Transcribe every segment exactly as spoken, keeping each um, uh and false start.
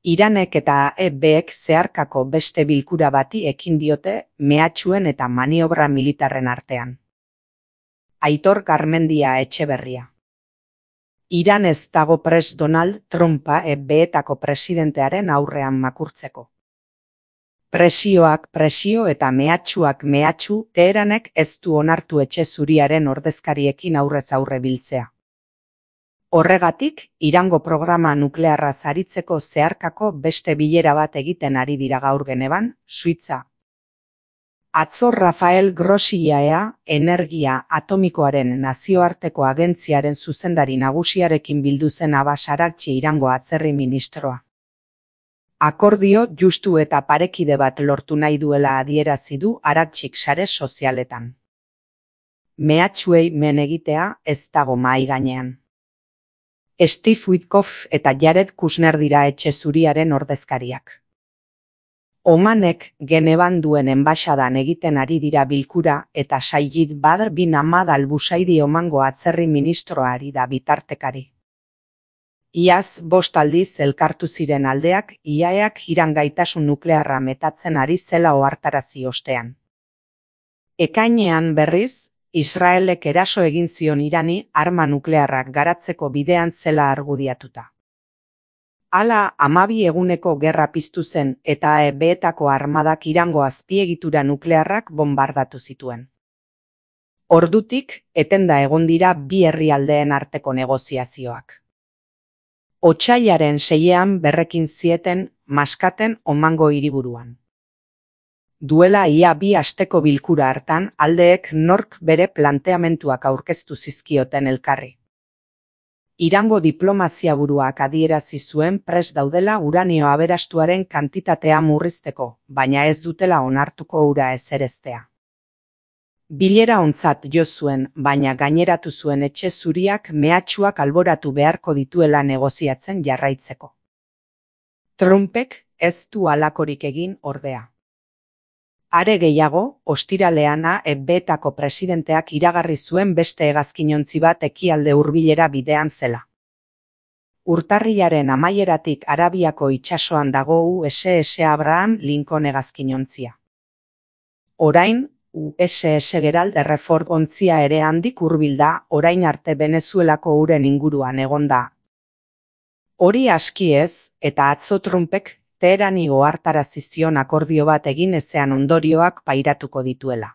Iranek eta E Bek zeharkako beste bilkura bati ekin diote mehatxuen eta maniobra militarren artean. Aitor Garmendia Etxeberria. Iran ez dago prest Donald Trumpa E Betako presidentearen aurrean makurtzeko. Presioak presio eta mehatxuak mehatxu, Teheranek ez du onartu etxe zuriaren ordezkariekin aurrez aurre biltzea. Horregatik, Irango programa nuklearra aritzeko zeharkako beste bilera bat egiten ari dira gaur Genevan, Suitza. Atzo Rafael Grossi I A E A, Energia Atomikoaren Nazioarteko Agentziaren zuzendari nagusiarekin bildu zen Abbas Araghchi Irango atzerri ministroa. Akordio justu eta parekide bat lortu nahi duela adierazi du Araghchik sare sozialetan. Mehatxuei men egitea ez dago mahai gainean. Steve Witkoff eta Jared Kushner dira etxe zuriaren ordezkariak. Omanek Genevan duen enbaxadan egiten ari dira bilkura eta Sayyid Badr bin Ahmad al-Busaidi Omango atzerri ministroari da bitartekari. Iaz bost aldiz elkartu ziren aldeak I A E Ak Iran gaitasun nuklearra metatzen ari zela ohartarazi ostean. Ekainean berriz, Israelek eraso egin zion Irani arma nuklearrak garatzeko bidean zela argudiatuta. Hala, hamabi eguneko gerra piztu zen eta E Betako armadak Irango azpiegitura nuklearrak bombardatu zituen. Ordutik, etenda egon dira bi herrialdeen arteko negoziazioak. Otsailaren seian berrekin zieten Maskaten Omango hiriburuan. Duela ia bi asteko bilkura hartan aldeek nork bere planteamentuak aurkeztu zizkioten elkarri. Irango diplomazia buruak adierazi zuen prest daudela uranio aberastuaren kantitatea murrizteko, baina ez dutela onartuko ura ezereztea. Bilera ontzat jo zuen, baina gaineratu zuen etxe zuriak mehatxuak alboratu beharko dituela negoziatzen jarraitzeko. Trumpek ez du halakorik egin ordea. Are gehiago, ostiralean E Betako presidenteak iragarri zuen beste hegazkinontzi bat ekialde hurbilera bidean zela. Urtarrilaren amaieratik Arabiako itsasoan dago U S S Abraham Lincoln hegazkinontzia. Orain, U S S Gerald Hereford ontzia ere handik hurbil da, orain arte Venezuelako uren inguruan egonda. Hori aski ez, eta atzo Trumpek Teherani ohartarazi zion akordio bat egin ezean ondorioak pairatuko dituela.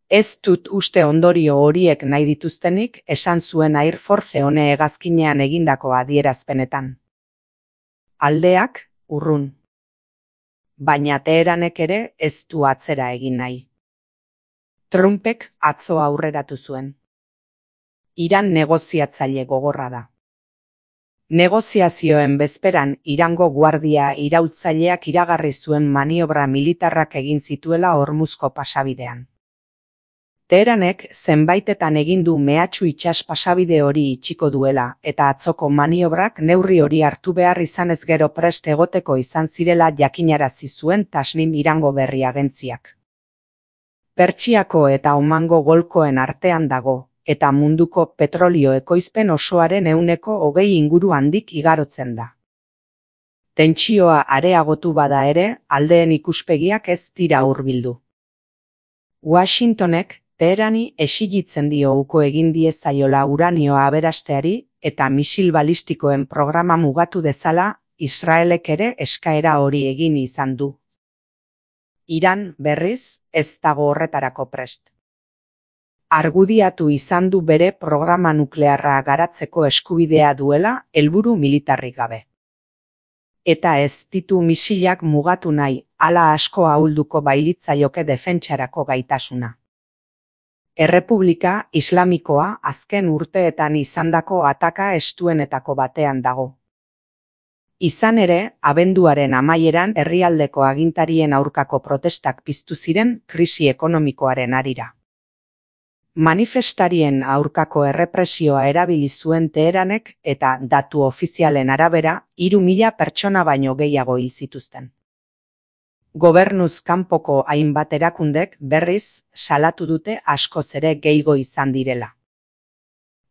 Ez dut uste ondorio horiek nahi dituztenik, esan zuen Air Force One hegazkinean egindako adierazpenetan. Aldeak, urrun. Baina Teheranek ere ez du atzera egin nahi. Trumpek atzo aurreratu zuen. Iran negoziatzaile gogorra da. Negoziazioen bezperan Irango guardia iraultzaileak iragarri zuen maniobra militarrak egin zituela Hormuzko pasabidean. Teheranek zenbaitetan egin du mehatxu itsas pasabide hori itxiko duela eta atzoko maniobrak neurri hori hartu behar izanez gero prest egoteko izan zirela jakinarazi zuen Tasnim Irango berri agentziak. Pertsiako eta Omango golkoen artean dago, eta munduko petrolio ekoizpen osoaren ehuneko hogei inguru handik igarotzen da. Tentsioa areagotu bada ere, aldeen ikuspegiak ez dira hurbildu. Washingtonek Teherani exigitzen dio uko egin diezaiola uranioa aberasteari eta misil balistikoen programa mugatu dezala, Israelek ere eskaera hori egin izan du. Iran, berriz, ez dago horretarako prest. Argudiatu izan du bere programa nuklearra garatzeko eskubidea duela helburu militarrik gabe. Eta ez ditu misilak mugatu nahi, hala asko ahulduko bailitzaioke defentsarako gaitasuna. Errepublika Islamikoa azken urteetan izandako ataka estuenetako batean dago. Izan ere, abenduaren amaieran herrialdeko agintarien aurkako protestak piztu ziren krisi ekonomikoaren harira. Manifestarien aurkako errepresioa erabili zuen Teheranek eta datu ofizialen arabera hiru mila pertsona baino gehiago hil zituzten. Gobernuz kanpoko hainbat erakundek berriz salatu dute askoz ere gehiago izan direla.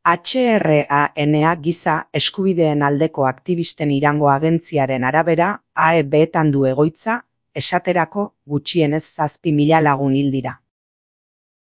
H R A N giza eskubideen aldeko aktivisten Irango agentziaren arabera, A E Beetan du egoitza, esaterako gutxienez zazpi mila lagun hil dira.